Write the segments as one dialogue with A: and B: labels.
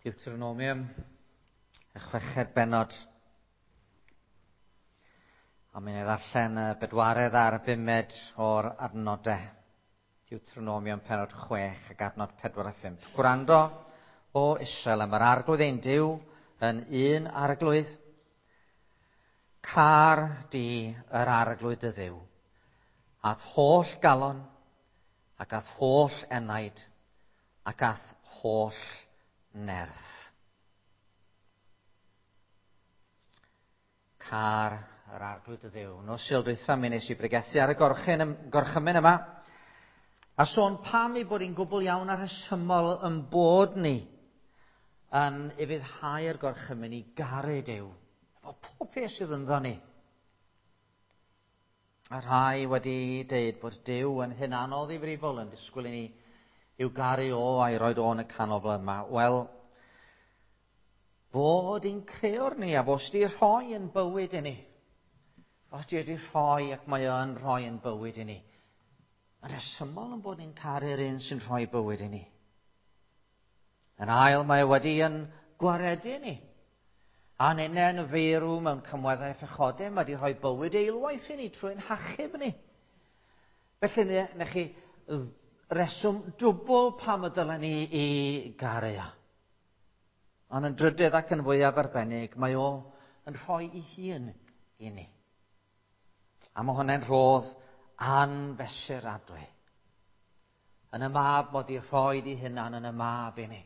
A: Deuteronomium, y chweched bennod. A mi'n ei ddarllen y bedwaredd a'r bumed o'r adnodau. Deuteronomium pennod 6 ac adnod 4 a 5. Gwrando o Israel am yr arglwydd ein Duw yn un arglwydd. Car di yr arglwydd dy Dduw, a'th holl galon, ac a'th holl enaid, ac a'th holl nerth. Car yr arglwydd y Dduw. Nos Sul dwytha mi nes i bregethu ar y gorchymyn yma. A sôn pam ei bod hi'n gwbl iawn a rhesymol yn bod ni yn ufuddhau'r gorchymyn i garu Duw. Efo pob peth sydd ynddo ni. A rhai wedi deud bod Duw yn hunanol ddifrifol yn disgwyl i ni i'w garu o a'i roed o yn y canol fel yma. Wel, fod i'n creo'r ni a fo sydd wedi rhoi yn bywyd i ni. Fo sydd wedi rhoi ac mae o'n rhoi yn bywyd i ni. Mae'n rhesymol yn bod ni'n caru'r un sy'n rhoi bywyd i ni. Yn ail, mae wedi yn gwaredu ni. A ninne yn feirw mewn cymweddau phechodau, mae wedi rhoi bywyd eilwaith i ni trwy'n hachub ni. Felly, na chi reswm dwbl pam y dylen ni i garu o. Ond yn drydydd ac yn fwyaf arbennig, mae o yn rhoi ei hun i ni. A mae hwnna'n rhodd anfesuradwy. Yn y mab mod i rhoi di hunan yn y mab i ni.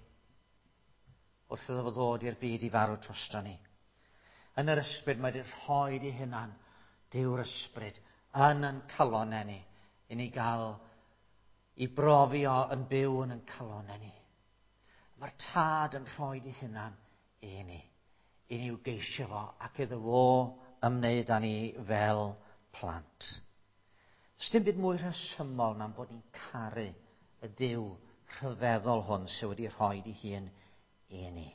A: Wrth iddo fo ddod i'r byd i farw drosto ni. Yn yr ysbryd mae di rhoi di hunan, Duw'r ysbryd, yn yn calonau ni, i ni gael i brofi o yn byw yn yn calonau ni. Mae'r tad yn rhoi di hunan i ni, i ni i'w geisio fo ac iddo fo ymwneud â ni fel plant. Does dim byd mwy rhesymol na'n bod ni'n caru y Duw rhyfeddol hwn sydd wedi rhoi di hun i ni.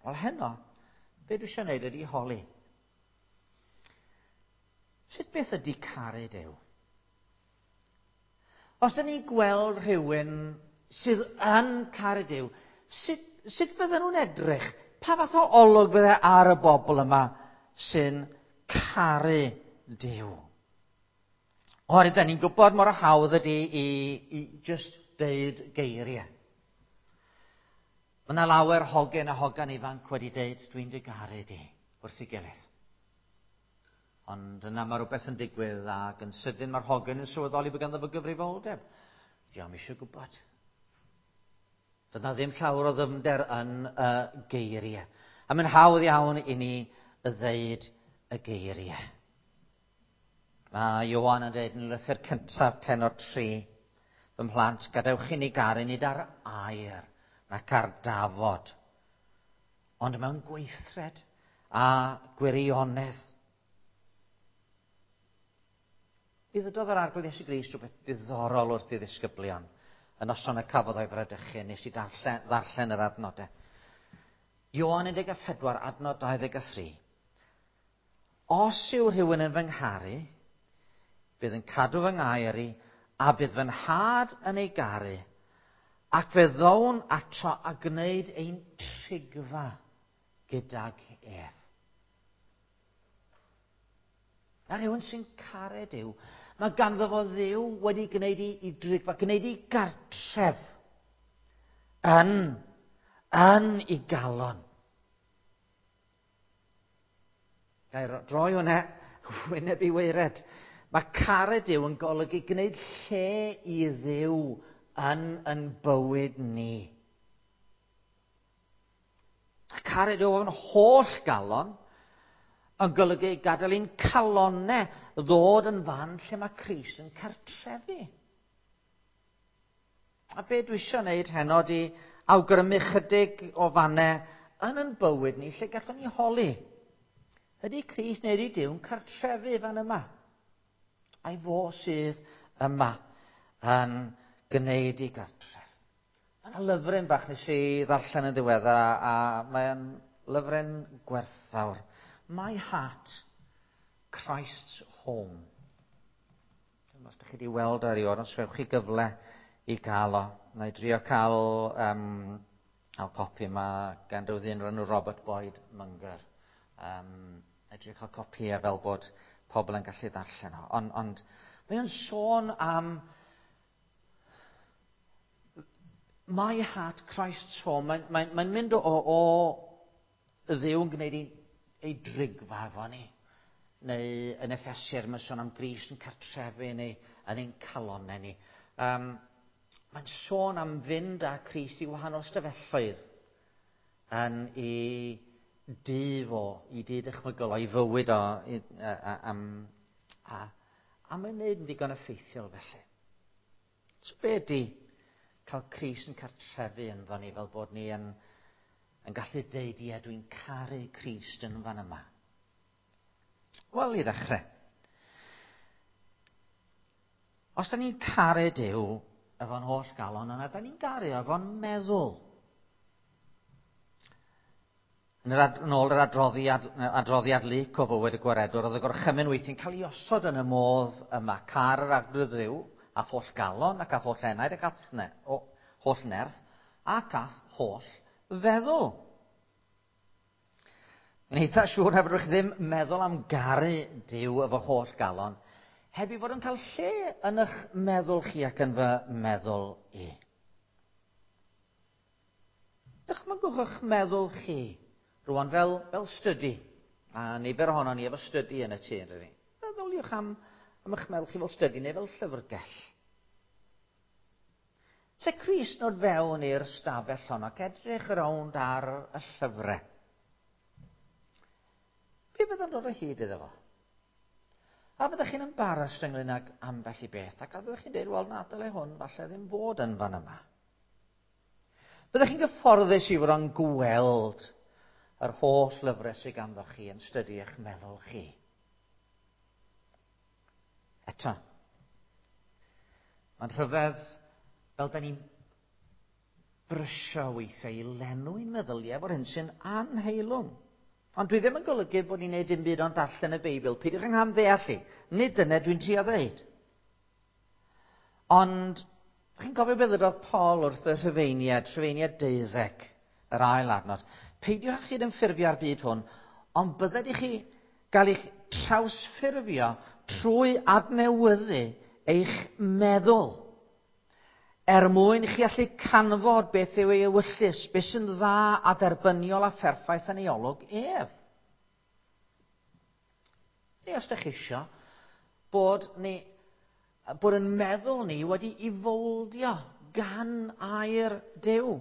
A: Wel heno, be dwi eisiau gwneud ydy holi. Sut beth ydy caru Duw? Os dyn ni'n gweld rhywun sydd yn caru Duw, sut, sut fydden nhw'n edrych? Pa fath o olwg fydde ar y bobl yma sy'n caru Duw? Oherwydd, da ni'n gwybod mor hawdd ydy i just deud geiriau. Mae yna lawer hogyn a hogan ifanc wedi deud, dwi'n dy garu di, wrth ei gilydd. Ond yna mae rhywbeth yn digwydd ac yn sydyn mae'r hogyn yn sylweddoli bod ganddo fo gyfrifoldeb. Diolch eisiau gwybod. Dyna ddim llawer o ddyfnder yn y geiriau. A mae'n hawdd iawn i ni ddeud y geiriau. Mae Ioan yn dweud yn lythyr cyntaf pennod 3, fy mhlant, gadewch i ni garu nid ar air nac ar dafod, ond mewn gweithred a gwirionedd. Mi ddydodd yr Arglwydd Iesu Grist rhywbeth diddorol wrth ei ddisgyblion y noson y cafodd o'i fradychu, nes i darllen, ddarllen yr adnodau. Ioan 14, adnod 23. Os yw rhywun yn fy ngharu, bydd yn cadw fy ngair i, a bydd fy nhad yn ei garu, ac fe ddown ato a gwneud ein trigfa gydag ef. Mae rhywun sy'n caru Duw. Mae ganddo fo Dduw wedi gwneud i, i drigfa, gwneud i gartref yn, yn i galon. Gair droi hwnna wyneb i waered. Mae caru Duw yn golygu gwneud lle i Dduw yn yn bywyd ni. A caru Duw yn holl galon yn golygu gadael i'n calonau ddod yn fan lle mae Crist yn cartrefu. A be dwi eisiau gwneud heno di awgrymu chydig o fannau yn yn bywyd ni lle gallwn ni holi. Ydy Crist neu ydy Duw'n cartrefu fan yma? A'i fo sydd yma yn gwneud i gartref. Mae yna lyfryn bach nes i ddarllen yn ddiweddar a mae'n lyfryn gwerthfawr. My Heart, Christ's Home. Dwi'n os ydych chi wedi weld o erioed, os gewch chi gyfle i gael o. Na i drio cael um, Cael copi yma gan rhyw ddyn o'r enw Robert Boyd Munger. Edrych cael copïau fel bod pobl yn gallu ddarllen o. Ond mae o'n sôn am My Heart Christ's Home. Mae'n mynd o Dduw yn gwneud ei drigfa efo ni. Neu yn Effesiaid mae'n sôn am Grist yn cartrefu neu yn ein calonnau ni. Mae'n sôn am fynd â Crist i wahanol stafelloedd yn ei dŷ fo, i dŷ dychmygol o, i fywyd o, a mae'n neud yn ddigon effeithiol felly. So be ydy cael Crist yn cartrefu ynddo ni fel bod ni yn gallu deud, ie, dwi'n caru Crist yn fan yma? Wel, i ddechrau, os da ni'n caru Duw efo'n holl galon, yna da ni'n garu efo'n meddwl. Yn ôl yr adroddiad Luc o fywyd y gwaredwr, oedd y gorchymyn weithiau'n cael ei osod yn y modd yma, car yr arglwydd Dduw, a'th holl galon, ac a'th holl enaid, ac a'th holl nerth, ac a'th holl feddwl. Yn eitha siŵr na fedrwch chi ddim meddwl am garu Duw efo holl galon, heb i fod yn cael lle yn eich meddwl chi ac yn fy meddwl i. Dychmygwch eich meddwl chi rwan fel stydi, a nifer ohono ni efo stydi yn y tŷ, yn dydi? Meddyliwch am eich meddwl chi fel stydi neu fel llyfrgell. Se Crist nod fewn i'r stafell hon ac edrych rownd ar y llyfrau. Be fydd yn dod o hyd iddo fo? A fyddech chi'n embarrassed ynglyn ag ambell i beth, ac a fyddech chi'n dweud, wel, na, dyle hwn falle ddim fod yn fan yma. Fyddech chi'n gyfforddus i fod yn gweld yr holl lyfrau sydd ganddo chi yn stydi eich meddwl chi? Eto, mae'n rhyfedd fel da ni'n brysio weithiau i lenwi'n meddyliau efo'r hyn sy'n anheilwng. Ond dwi ddim yn golygu bod ni'n neud dim byd ond darllen y Beibl. Peidiwch yng nghamddeall i. Nid dyna dwi'n trio ddeud. Ond, chi'n cofio beth ddywedodd Paul wrth y Rhufeiniaid, Rhufeiniaid 12, yr ail adnod. Peidiwch â chyd-ymffurfio â'r byd hwn, ond bydded i chi gael eich trawsffurfio trwy adnewyddu eich meddwl, er mwyn i chi allu canfod beth yw ei ewyllys, beth sy'n dda a derbyniol a pherffaith yn ei olwg ef. Neu os ydych chi isio, bod yn meddwl ni wedi i fowldio gan air Duw.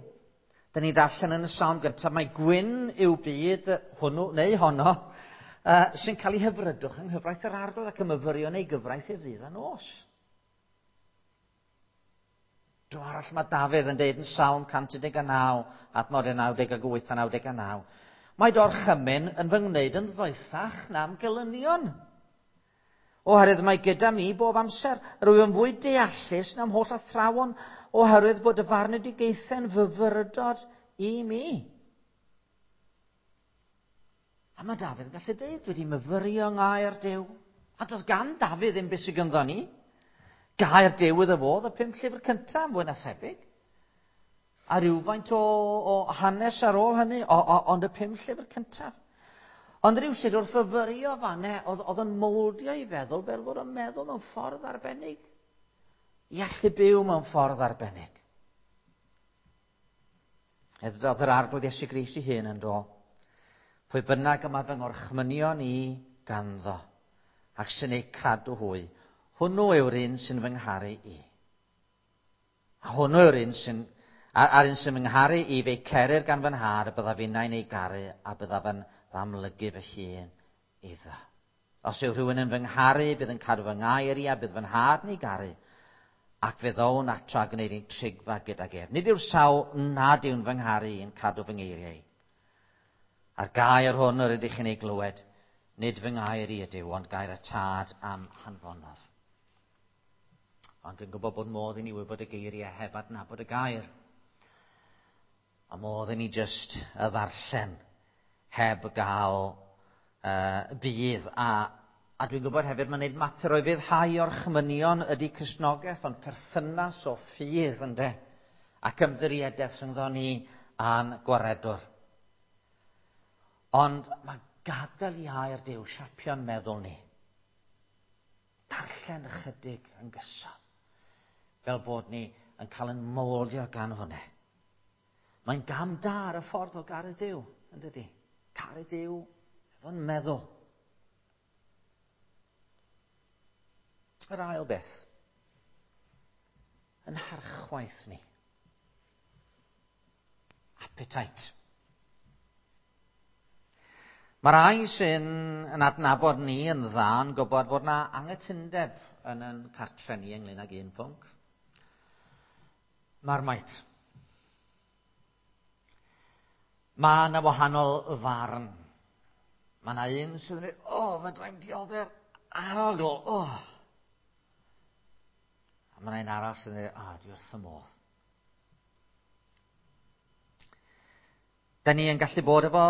A: Dyn ni'n darllen yn y Salm gyntaf, mae gwyn yw byd hwnnw neu honno sy'n cael ei hyfrydwch yng nghyfraith yr Arglwydd ac y myfyrio neu gyfraith ef ddydd a nos. Dro arall mae Dafydd yn deud yn Salm 119, adnodau 98 a 99, mae dorchymyn yn fy ngwneud yn ddoethach na'm gelynion. Oherwydd mae gyda mi bob amser, rwyf yn fwy deallus na'm holl athrawon, oherwydd bod y farnedigaethau'n fyfyrdod i mi. A mae Dafydd yn gallu deud, wedi myfyrio yng ngair Duw. A doedd gan Dafydd ddim beth sydd ganddo ni. Gair Duw iddo fo, y 5 llyfr cyntaf, fwy na thebyg. A rhywfaint o hanes ar ôl hynny, ond y 5 llyfr cyntaf. Ond rhywsut wrth fyfyrio fanne, oedd yn mowldio i feddwl fel fod o'n meddwl mewn ffordd arbennig. I allu byw mewn ffordd arbennig. Edrychodd yr Arglwydd Iesu Grist ei hun yn do. Pwy bynnag y mae fy ngorchmynion i ganddo, ac sy'n eu cadw hwy, hwnnw yw'r un sy'n fy ngharu i. A hwnnw yw'r un sy'n, a'r un sy'n fy ngharu i, fe'i cerir gan fy nhad, a byddaf innau'n ei garu, a byddaf yn fy amlygu fy hun iddo. Os yw rhywun yn fy ngharu, bydd yn cadw fy ngair i, a bydd fy nhad yn ei garu, ac fe ddown ato a gwneud ein trigfa gydag ef. Nid yw'r sawl nad yw'n fy ngharu yn cadw fy ngeiriau. A'r gair hwn yr ydych chi'n ei glywed, nid fy ngair i ydyw, ond gair y tad am hanfonodd. Ond dwi'n gwybod bod modd i ni wybod y geiriau heb adnabod y gair. A modd i ni jyst y ddarllen heb gael budd. A dwi'n gwybod hefyd mae'n neud mater o'i fyddhau orchmynion ydy Cristnogaeth, ond perthynas o ffydd ynde, ac ymddiriedaeth rhyngddo ni a'n gwaredwr. Ond mae gadael i air Duw siapio'n meddwl ni. Darllen ychydig yn gyson, fel bod ni yn cael yn moldio gan hwnna. Mae'n gam da ar y ffordd o garu Duw, yn dydy? Caru Duw efo'n meddwl. Yr ail beth, yn harchwaith ni. Appetite. Mae rai sy'n yn adnabod ni yn dda yn gwybod bod na anghytundeb yn yn cartre ni ynglyn ag un pwnc. Marmite. Mae yna wahanol farn. Mae yna un sydd yn dweud, o, oh, fedra i'm diodde'r arogl, o. Oh. A mae yna un arall sydd yn dweud, o, oh, dwi wrth y modd. Da ni yn gallu bod efo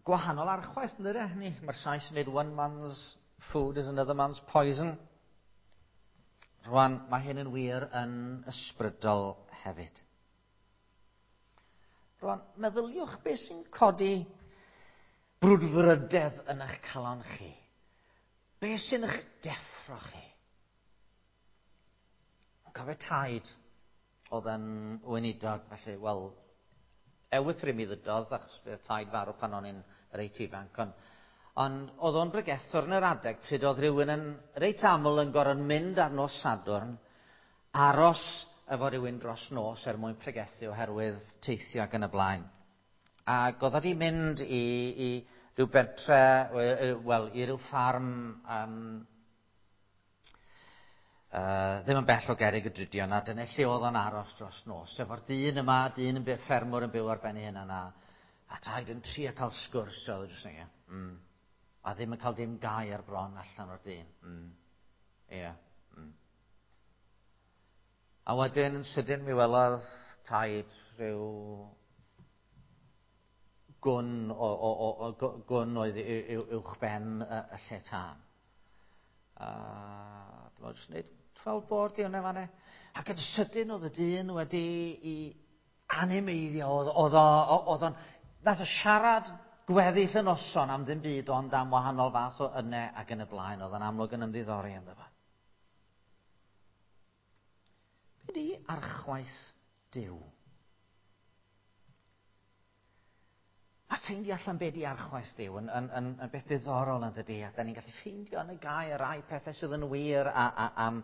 A: gwahanol archwaith, yn dydyn ni? Mae'r Sais yn dweud one man's food is another man's poison. Rwan, mae hyn yn wir yn ysbrydol hefyd. Rwan, meddyliwch beth sy'n codi brwdfrydedd yn eich calon chi. Beth sy'n eich deffro chi? Yn cofio taid oedd yn weinidog, felly, wel, ewythr i mi ddydodd, achos fe taid farw pan o'n i'n reit ifanc, ond, ond oedd o'n bregethwr yn yr adeg pryd oedd rhywun yn reit aml yn gorfod mynd ar nos Sadwrn, aros efo rhywun dros nos er mwyn pregethu oherwydd teithio ac yn y blaen. Ac oedd wedi mynd i, i ryw bentre, wel, i ryw ffarm um, ddim yn bell o Gerig y Drudion, a dyna lle oedd o'n aros dros nos. Efo'r dyn yma, dyn yn byw, ffermwr yn byw ar ben ei hunan, a, a taid yn trio cael sgwrs, oedd jyst yn mm. A ddim yn cael dim gair bron allan o'r dyn. Mm. Ie. Yeah. Mm. A wedyn yn sydyn mi welodd taid rhyw gwn, o, o, o, o, gwn oedd uwch ben y, y lle tân. A dyma jyst wneud 12 board i hwnna fanna. Ac yn sydyn oedd y dyn wedi i animeiddio, oedd o'n, nath o siarad gweddill y noson am ddim byd ond am wahanol fath o yne ac yn y blaen, oedd o'n amlwg yn ymddiddori ynddo fo. Be di archwaith Duw? A ffeindio allan be di archwaith Duw yn, yn, yn, yn beth diddorol yn dydy, a da ni'n gallu ffeindio yn y gair rai pethau sydd yn wir a, a, am,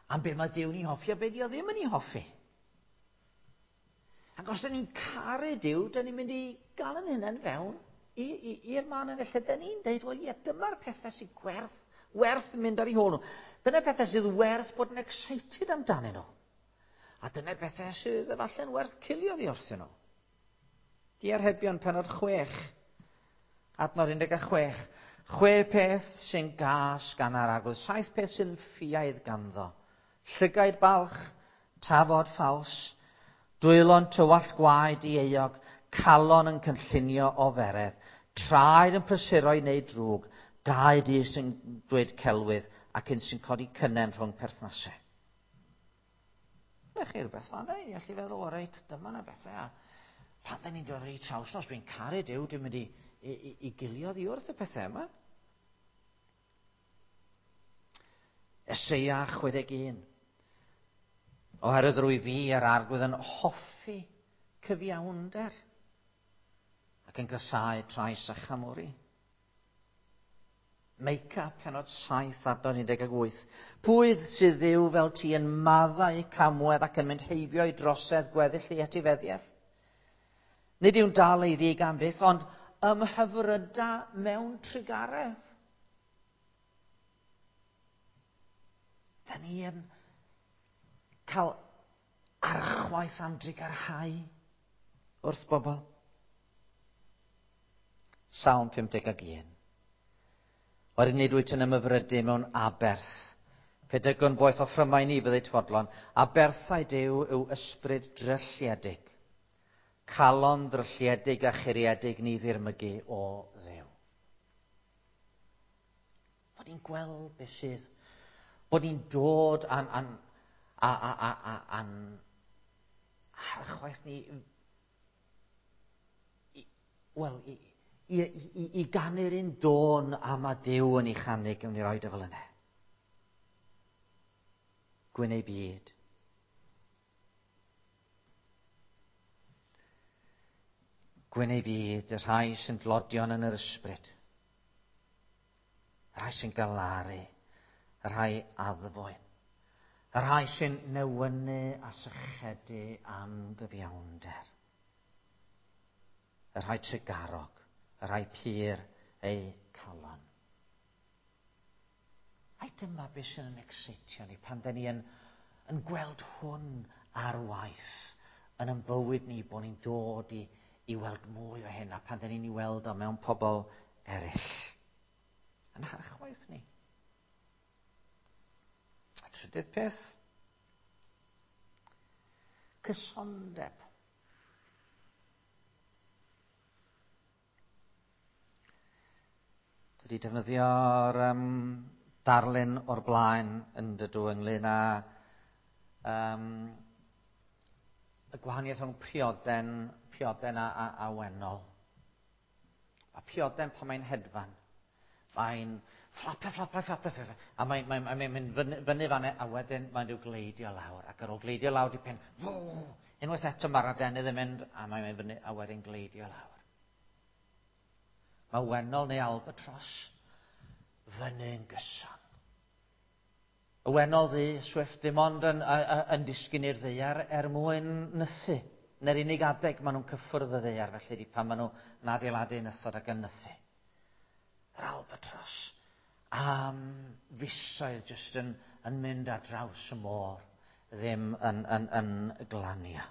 A: am be mae Duw'n ei hoffi a be di o ddim yn ei hoffi. Ac os da ni'n caru Duw, da ni'n mynd i gael yn hunain fewn i'r man yn y lle da ni'n deud, wel ie, dyma'r pethau sy'n gwerth, werth mynd ar ei hôl nhw. Dyna pethau sydd werth bod yn excited amdanyn nhw. A dyna bethau sydd efallai'n werth cilio ddi wrthyn nhw. Diarhebion penod 6, adnod 16. Chwe peth sy'n gas gan yr arglwydd, saith peth sy'n ffiaidd ganddo. Llygaid balch, tafod ffals, dwylo'n tywallt gwaed i euog, calon yn cynllunio o feredd, traed yn prysuro i wneud drwg, gau di sy'n dweud celwydd ac un sy'n codi cynnen rhwng perthnasau. Na chi rhywbeth fan i allu feddwl, o reit, dyma na bethau. A pan da ni'n dod ar ei traws nos, dwi'n caru Duw, dwi'n mynd i, i, i, i gilio ddi wrth y pethau yma. Eseia 61. Oherwydd rwy fi a'r arglwydd yn hoffi cyfiawnder ac yn gysau trais a chamwri. Meica, penod 7, adnod 18. Pwy sydd ddiw fel ti yn maddau camwedd ac yn mynd heibio i drosedd gweddill ei etifeddiaeth? Nid yw'n dal ei ddig am byth, ond ymhyfryda mewn trugaredd. Da ni yn cael archwaith am drugarhau wrth bobl. Salm 51. Wedyn nid wyt yn ymhyfrydu mewn aberth. Pedygon boeth offrymau ni byddai fodlon. Aberthau Duw yw ysbryd drylliedig. Calon drylliedig a churiedig ni ddirmygu o Dduw. Bod ni'n gweld beth sydd, bod ni'n dod a'n, an, a, a, a, a, an, archwaith ni Wel, i ganu'r un dôn am a Duw yn ei chanu, gewn ni roed o fel yna. Gwyn ei byd. Gwyn ei byd, y rhai sy'n dlodion yn yr ysbryd. Y rhai sy'n galaru, y rhai addfwyn. Y rhai sy'n newynu a sychedu am gyfiawnder. Y rhai trugarog, y rhai pur eu calon. Ai dyma beth sy'n yn excitio ni pan da ni yn gweld hwn ar waith yn ein bywyd ni, bod ni'n dod i weld mwy o hyn, a pan da ni'n ei weld o mewn pobl eraill. Yn harchwaith ni. A trydydd peth, cysondeb. Dwi wedi defnyddio'r darlun o'r blaen yn dydw ynglyn â y gwahaniaeth rhwng pioden a wennol. A pioden pan mae'n hedfan, mae'n fflapio, fflapio, fflapio, fflapio, a mae'n mynd fyny fan'na, a wedyn mae'n rhyw gleidio lawr, ac ar ôl gleidio lawr dipyn, unwaith eto mae'r adenydd yn mynd, a mae'n mynd fyny, a wedyn gleidio lawr. Mae wennol neu albatros fyny'n gyson. Y wennol ddu, swift, dim ond yn disgyn i'r ddaear er mwyn nythu. Neu'r unig adeg maen nhw'n cyffwrdd y ddaear, felly di pan maen nhw'n adeiladu nythod ac yn nythu. Yr albatros am fisoedd jyst yn mynd ar draws y môr, ddim yn glanio.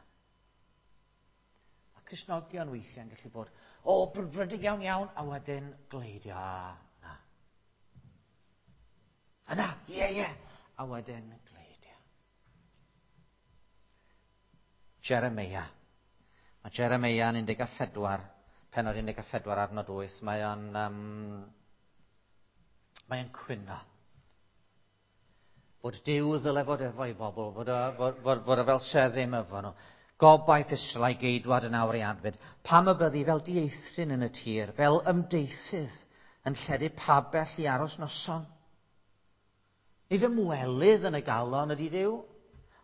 A: Mae Cristnogion weithiau'n gallu bod, o, brwdfrydig iawn iawn, a wedyn gleidio, a na. A na, ie, ie, a wedyn gleidio. Jeremia. Mae Jeremia yn 14, pennod 14 adnod 8, mae'n cwyno. Bod Duw ddyle fod efo'i bobl, fod o fel se ddim efo nhw. Gobaith Israel a'i geidwad yn awr ei adfyd. Pam y byddi fel dieithryn yn y tir, fel ymdeithydd yn lledu pabell i aros noson? Nid ymwelydd yn y galon ydy Duw.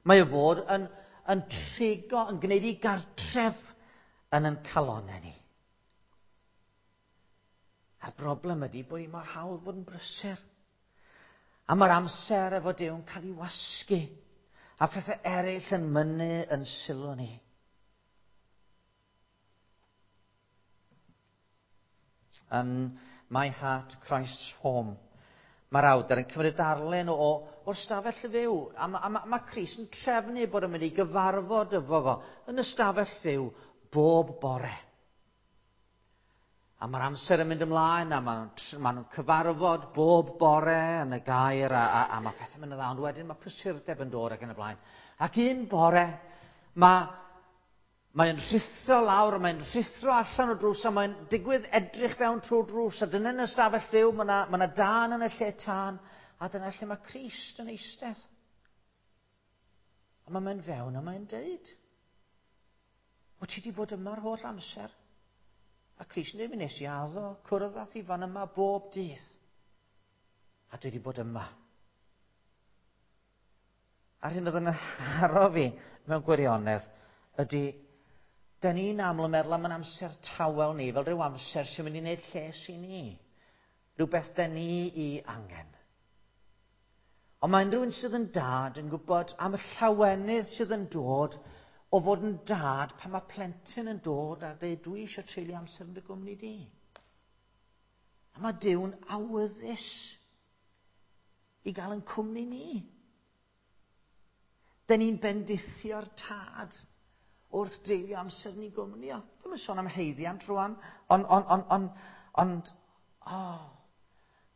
A: Mae o fod yn trigo, yn gwneud i gartref yn ein calonnau ni. A'r broblem ydy bod hi mor hawdd bod yn brysur. A mae'r amser efo Duw yn cael ei wasgu. A phethau eraill yn mynnu yn sylw ni. Yn My Heart, Christ's Home, mae'r awdur yn cymryd darlun o'r stafell fyw. A ma Crist yn trefnu bod yn mynd i gyfarfod efo fo yn y stafell fyw bob bore. A mae'r amser yn mynd ymlaen, a ma' nhw'n cyfarfod bob bore yn y gair, a mae pethau'n mynd yn dda, ond wedyn mae prysurdeb yn dod ac yn y blaen. Ac un bore, mae'n rhuthro lawr, mae'n rhuthro allan o drws, a mae'n digwydd edrych fewn trwy'r drws, a dyna yn y stafell fyw, ma' 'na dân yn y lle tân, a dyna lle mae Crist yn eistedd. A mae'n mynd fewn a mae'n deud, o ti 'di bod yma'r holl amser? A Crist yn dweud, mi nes i addo cwrdd â thi fan yma bob dydd. A dwi wedi bod yma. A'r hyn oedd yn haro fi mewn gwirionedd ydy, da ni'n aml yn meddwl am yn amser tawel ni, fel rhyw amser sy'n mynd i wneud lles i ni. Rhywbeth da ni i angen. Ond mae unrhyw un sydd yn dad yn gwybod am y llawenydd sydd yn dod o fod yn dad pan mae plentyn yn dod a dweud, dwi eisiau treulio amser yn dy gwmni di. A mae Duw'n awyddus i gael yn cwmni ni. Da ni'n bendithio'r tad wrth dreulio amser yn ei gwmni o. Dwi'm yn sôn am haeddiant rwan, ond,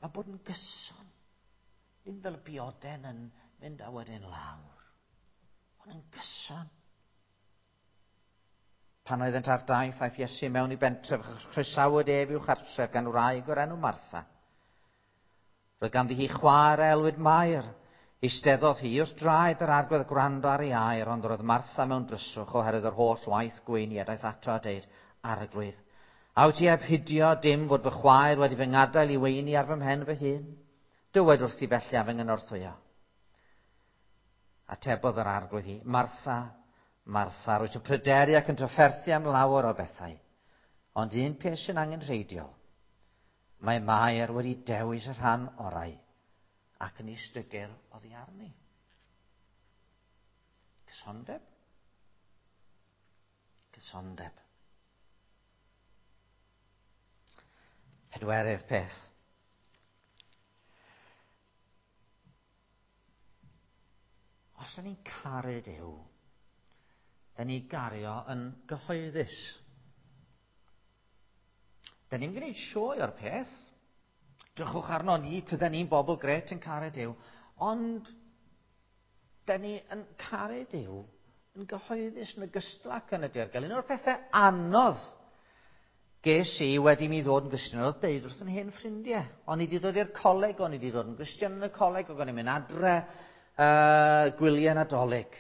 A: mae bod yn gyson. Ddim fel y bioden yn mynd a wedyn lawr, ond yn gyson. Pan oeddent ar daith, aeth Iesu mewn i bentref, chroesawyd ef i'w chartref gan wraig o'r enw Martha. Roedd ganddi hi chwaer a elwid Mair. Eisteddodd hi wrth draed yr arglwydd gwrando ar ei air, ond roedd Martha mewn dryswch oherwydd yr holl waith gweini a daeth ato a deud, Arglwydd, A wyt ti heb hidio dim fod fy chwaer wedi fy ngadael i weini ar fy mhen fy hun? Dywed wrthi felly a fy nghynorthwyo. Atebodd yr arglwydd hi, Martha, Martha, rwyt yn pryderu ac yn trafferthu am lawer o bethau. Ond un peth sy'n angenrheidiol. Mae Mair wedi dewis y rhan orau ac yn istygir oddi arni. Cysondeb? Cysondeb. Pedwerydd peth. Os da ni'n caru Duw, da ni gario yn gyhoeddus. Da ni'n gwneud sioe o'r peth. Drychwch arno ni, tyda ni'n bobl gret yn caru Duw. Ond, da ni yn caru Duw yn gyhoeddus yn ogystal ac yn y dirgel. Un o'r pethau anodd ges i wedi mi ddod yn Gristion oedd deud wrth yn hen ffrindiau. O'n i wedi dod i'r coleg, o'n i wedi dod yn Gristion yn y coleg, o'n i'n mynd adre gwyliau Nadolig.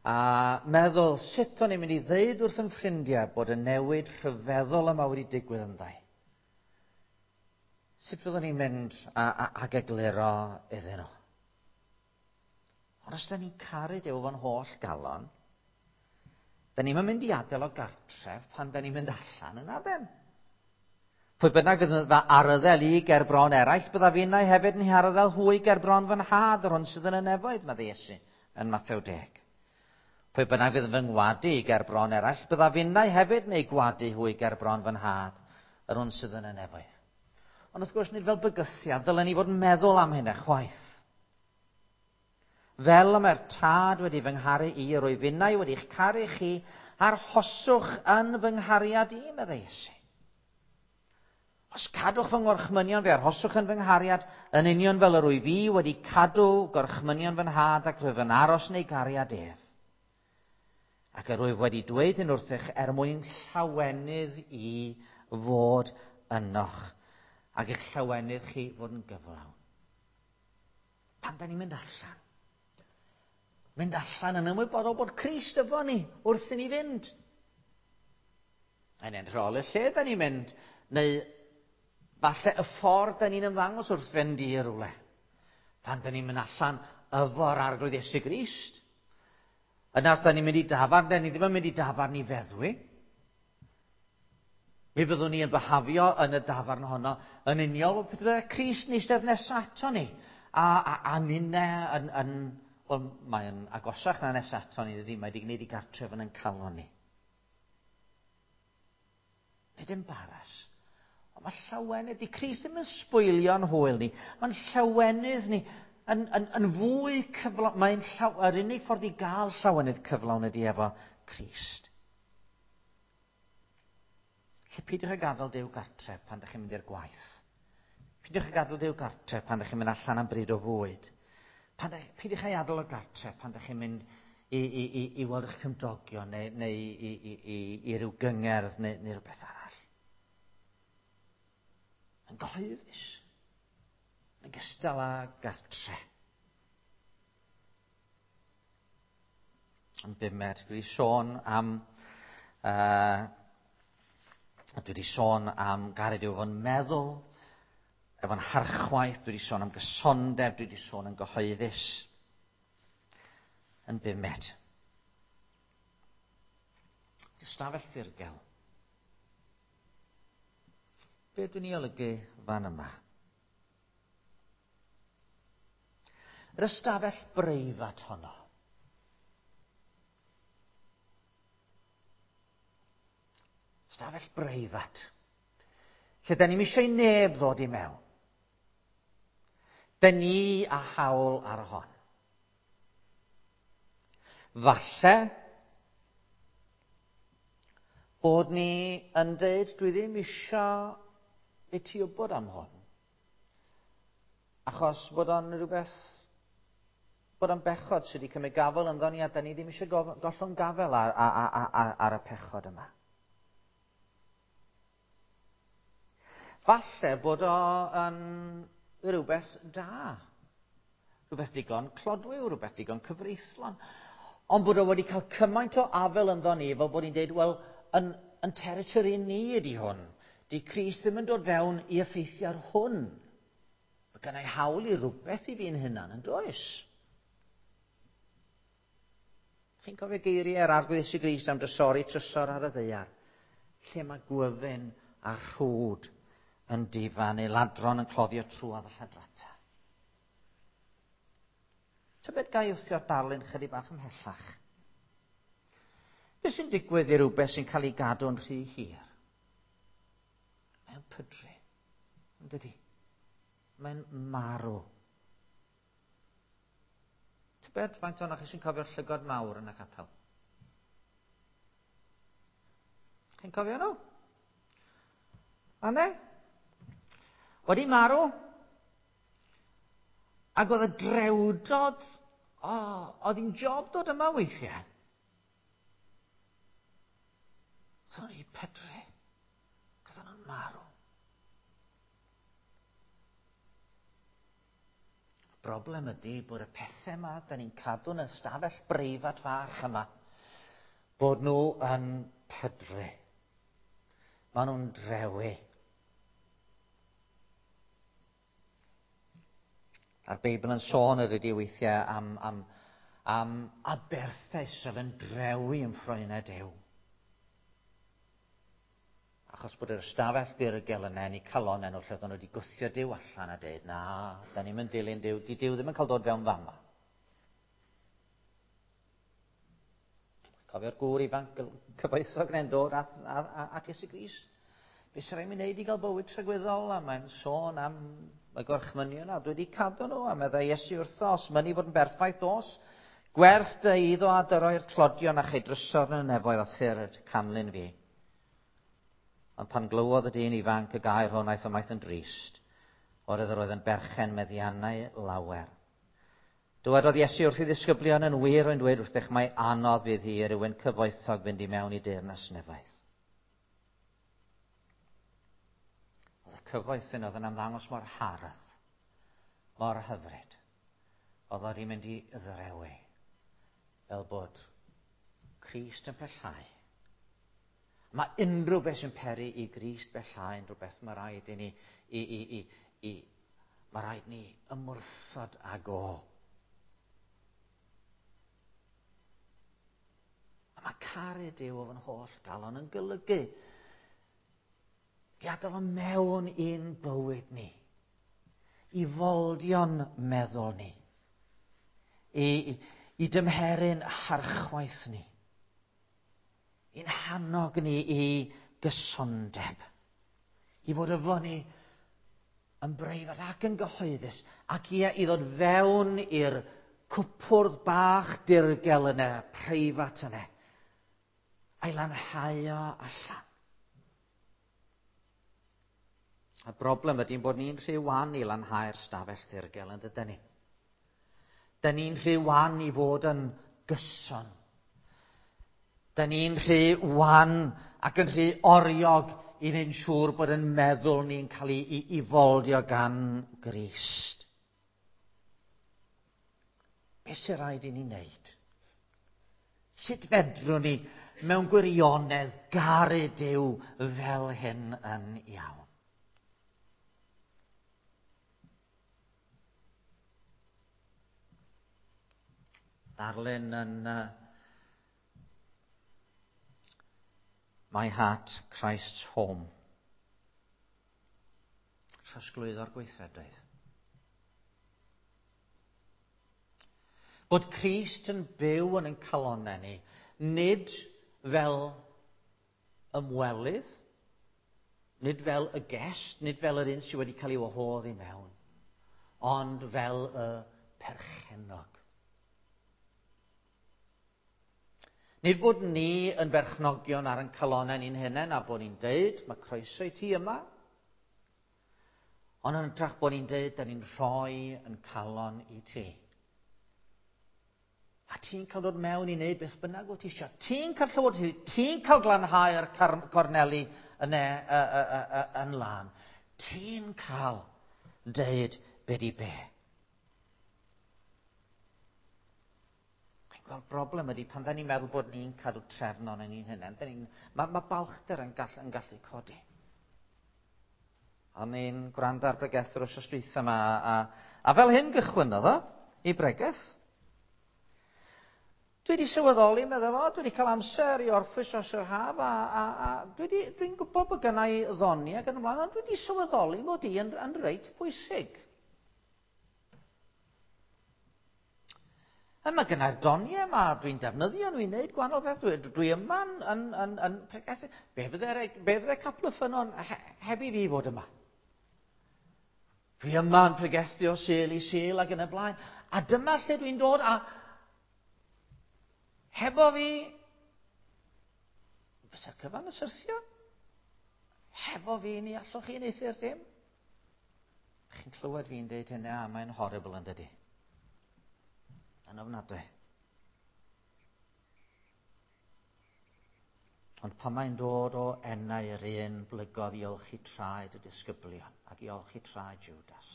A: A meddwl sut o'n i'n mynd i ddeud wrth yn ffrindiau bod y newid rhyfeddol yma wedi digwydd ynddau. Sut fyddwn ni'n mynd a, a, ag egluro iddyn nhw? Ond os da ni'n caru Duw fo'n holl galon, da ni'n mynd i adael o gartref pan da ni'n mynd allan yn aden. Pwy bynnag fydd yn fy arddel i ger bron eraill, bydda finnau hefyd yn harddel hwy ger bron fy nhad, yr hwn sydd yn y nefoedd, mae Iesu yn Mathew 10. Pwy bynnag fydd yn fy ngwadu i ger bron eraill, bydda finnau hefyd yn ei gwadu hwy ger bron fy nhad, yr hwn sydd yn y nefoedd. Ond wrth gwrs, nid fel bygythiad, dylen ni fod yn meddwl am hynny chwaith. Fel y mae'r tad wedi fy ngharu i, yr wyf innau wedi'ch caru chi, arhoswch yn fy nghariad i, meddai Iesu. Os cadwch fy ngorchmynion, fe arhoswch yn fy nghariad, yn union fel yr wyf i wedi cadw gorchmynion fy nhad ac rwyf yn aros yn ei gariad ef. Ac yr wyf wedi dweud hyn wrthych er mwyn llawenydd i fod ynoch, ac eich llawenydd chi fod yn gyflawn. Pan da ni'n mynd allan. Mynd allan yn ymwybodol bod Crist efo ni wrth i ni fynd. Yn edrych ôl y lle da ni'n mynd, neu falle y ffordd da ni'n ymddangos wrth fynd i rywle. Pan da ni'n mynd allan efo'r Arglwydd Iesu Grist. Yna os da ni'n mynd i dafarn, da ni ddim yn mynd i dafarn i feddwi. Mi fyddwn ni yn byhafio yn y dafarn honno yn union fel pe bai Crist yn eistedd nesaf ato ni. A, a, a ninne yn, yn wel, mae'n agosach na nesaf ato ni, dydy, mae wedi gwneud i gartref yn ein calon ni. Nid embaras. Ond mae llawenydd, di Crist ddim yn sbwylio'n hwyl ni. Mae'n llawenydd ni yn, yn, yn fwy cyflawn. Mae'n llaw, yr unig ffordd i gael llawenydd cyflawn ydy efo Crist. Lle peidiwch â gadael Duw gartref pan ydych chi'n mynd i'r gwaith. Peidiwch â gadael Duw gartref pan ydych chi'n mynd allan am bryd o fwyd. Pan ydych, peidiwch â'i adael o gartref pan ydych chi'n mynd i, i, i, i weld eich cymdogion neu, neu i, i, i, i ryw gyngerdd neu, neu rhywbeth arall. Yn gyhoeddus. Yn gystal â gartre. Yn bumed, dwi wedi sôn am uh, dwi wedi sôn am garu Duw efo'n meddwl, efo'n harchwaith, dwi wedi sôn am gysondeb, dwi wedi sôn yn gyhoeddus. Yn bumed. Ystafell ddirgel. Be dwi'n ei olygu fan yma? Yr ystafell breifat honno. Ystafell breifat. Lle da ni'n eisiau neb ddod i mewn. Da ni a hawl ar hon. Falle bod ni yn dweud dwi ddim eisiau i ti wybod am hwn. Achos bod o'n rhywbeth, bod o'n bechod sydd wedi cymryd gafel ynddo ni a da ni ddim eisiau gollwng gafel ar, ar, ar, ar, ar y pechod yma. Falle bod o yn rhywbeth da. Rhywbeth digon clodwiw, rhywbeth digon cyfreithlon. Ond bod o wedi cael cymaint o afel ynddo ni fel bod ni'n dweud, wel, yn, yn territory ni ydy hwn. Di Crist ddim yn dod fewn i effeithio ar hwn. Mae gennau hawl i rhywbeth i fi'n hunan, yn does? Chi'n cofio geiriau yr Arglwydd Iesu Grist am drysori trysor ar y ddaear, lle mae gwyfyn a rhwd yn difa neu ladron yn cloddio trwodd y lladrata. Tybed ga i wthio'r darlun chydig bach ymhellach? Beth sy'n digwydd i rywbeth sy'n cael ei gadw'n rhy hir? Mae'n pydru, yn dydi? Mae'n marw. Tybed faint ohonoch chi sy'n cofio'r llygod mawr yn y capel? Chi'n cofio nhw? Anne? Wedi marw. Ac oedd y drewdod, o, oh, oedd hi'n job dod yma weithiau. Oedd nhw'n pydru. Oedd nhw'n marw. Broblem ydy bod y pethau yma, da ni'n cadw yn ystafell breifat fach yma, bod nhw yn pydru. Maen nhw'n drewi. A'r Beibl yn sôn yr ydy weithiau am, am, am aberthau sydd yn drewi yn ffroenau Duw. Achos bod yr ystafell ddirgel yna yn eu calonnau nhw lle oedden nhw wedi gwthio Duw allan a dweud, na, da ni'n mynd dilyn Duw, di Duw ddim yn cael dod fewn fama. Cofio'r gŵr ifanc cyfoethog neu'n dod at, at, at, at Iesu Grist. Be sy'n rhaid mi wneud i gael bywyd tragwyddol? A mae'n sôn am y gorchmynion a dwi wedi cadw nhw. A meddai Iesu wrtho, os mynnu fod yn berffaith dos, gwerth dy eiddo a dyroi'r tlodion a chei drysor yn y nefoedd a thyrd canlyn fi. Ond pan glywodd y dyn ifanc y gair hwn aeth ymaith yn drist, oherwydd yr oedd yn berchen meddiannau lawer. Dywedodd Iesu wrth ei ddisgyblion yn wir rwy'n dweud wrthych mai anodd fydd hi i rywun cyfoethog fynd i mewn i deyrnas nefoedd. Oedd y cyfoeth yn oedd yn ymddangos mor hardd, mor hyfryd. Oedd wedi mynd i ddrewi, fel bod Crist yn pellhau. Mae unrhyw beth sy'n peri i Grist bellhau yn rhywbeth mae rhaid i ni, i, i, i, i, mae rhaid ni ymwrthod ag o. A mae caru Duw o fy holl galon yn golygu gadael o mewn i'n bywyd ni, i foldio'n meddwl ni, i, i, i dymheru'n harchwaith ni, i'n hannog ni i gysondeb, i fod efo ni yn breifat ac yn gyhoeddus, ac ia, i ddod fewn i'r cwpwrdd bach dirgel yna, preifat yna, a'i lanhau o allan. Y broblem ydy'n bod ni'n rhy wan i lanhau'r stafell ddirgel yn dydyn ni. Dyn ni'n rhy wan i fod yn gyson. Dyn ni'n rhy wan ac yn rhy oriog i wneud yn siŵr bod yn meddwl ni'n cael ei, ei, ei foldio gan Grist. Be sy'n rhaid i ni wneud? Sut fedrwn ni mewn gwirionedd garu Duw fel hyn yn iawn? Darlun yn My Heart, Christ's Home. Trosglwyddo'r gweithredoedd. Bod Crist yn byw yn ein calonnau ni, nid fel ymwelydd, nid fel y guest, nid fel yr un sydd wedi cael ei wahodd i mewn, ond fel y perchennog. Nid bod ni yn berchnogion ar ein calonnau ni'n hunain a bod ni'n deud, mae croeso i ti yma. Ond yn hytrach bod ni'n deud, da ni'n rhoi yn calon i ti. A ti'n cael dod mewn i wneud beth bynnag wyt ti eisiau. Ti'n cael llywodraethu, ti'n cael glanhau'r corneli yn, e, y, y, y, y, yn lân. Ti'n cael deud be di be. Wel, broblem ydy pan da ni'n meddwl bod ni'n cadw trefn o'n ni'n hunain, mae balchder yn gallu codi. O'n i'n gwrando ar bregeth yr wythnos dwytha yma, a fel hyn gychwynnodd o i bregeth. Dwi wedi sylweddoli, meddwl fo, dwi wedi cael amser i orffwys dros yr haf, a dwi'n gwybod bod gynna i ddoniau ac yn ymlaen, ond dwi wedi sylweddoli mod i yn reit bwysig. A mae gynna'r doniau yma, dwi'n defnyddio nhw i wneud gwahanol beth. Dwi yma'n yn pregethu. Be fydde Capel y Ffynnon heb i fi fod yma? Dwi yma'n pregethu o Sul i Sul ac yn y blaen. A dyma lle dwi'n dod a hefo fi, fysa'r cyfan yn syrthio? Hefo fi ni allwch chi wneuthur dim? Chi'n clywed fi'n deud hynny, a mae'n horrible yn dydi? Yn ofnadwy. Ond pan mae'n dod o enau yr un blygodd i olchi traed y disgyblion ac i olchi traed Judas.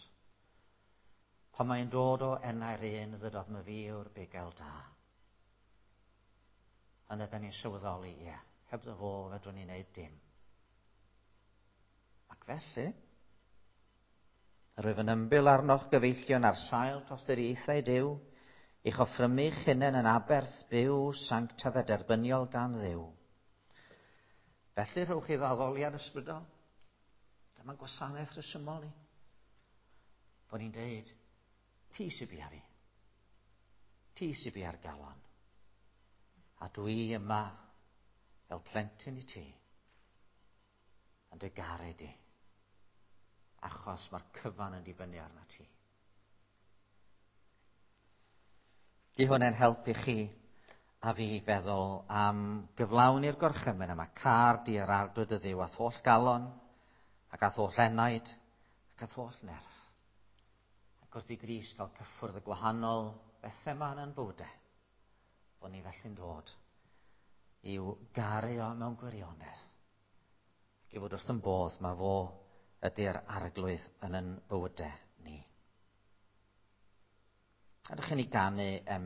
A: Pan mae'n dod o enau'r un ddydodd my fi yw'r bugail da. Yna da ni'n sylweddoli, ie, hebddo fo fedrwn ni wneud dim. Ac felly, yr wyf yn ymbil arnoch gyfeillion ar sail tosturiaethau Duw, i'ch offrymu'ch hunain yn aberth byw, sanctaidd a derbyniol gan Dduw. Felly rhowch chi addoliad ysbrydol. Dyma'n gwasanaeth rhesymol ni. Bod ni'n deud, ti sy'n bia fi. Ti sy'n bia'r galon. A dwi yma fel plentyn i ti. Yn dy garu di. Achos mae'r cyfan yn dibynnu arna ti. Di hwn yn helpu chi a fi feddwl am gyflawni'r gorchymyn yma. Car di yr arglwydd dy Dduw a'th holl galon, ac a'th holl enaid, ac a'th holl nerth. Ac wrth i Grist gael cyffwrdd y gwahanol bethau yma yn bywydau, bod ni felly'n dod i'w garu o mewn gwirionedd. Ac i fod wrth yn bodd, mae fo ydy'r arglwydd yn yn bywydau ni. Ydych chi'n ei ganu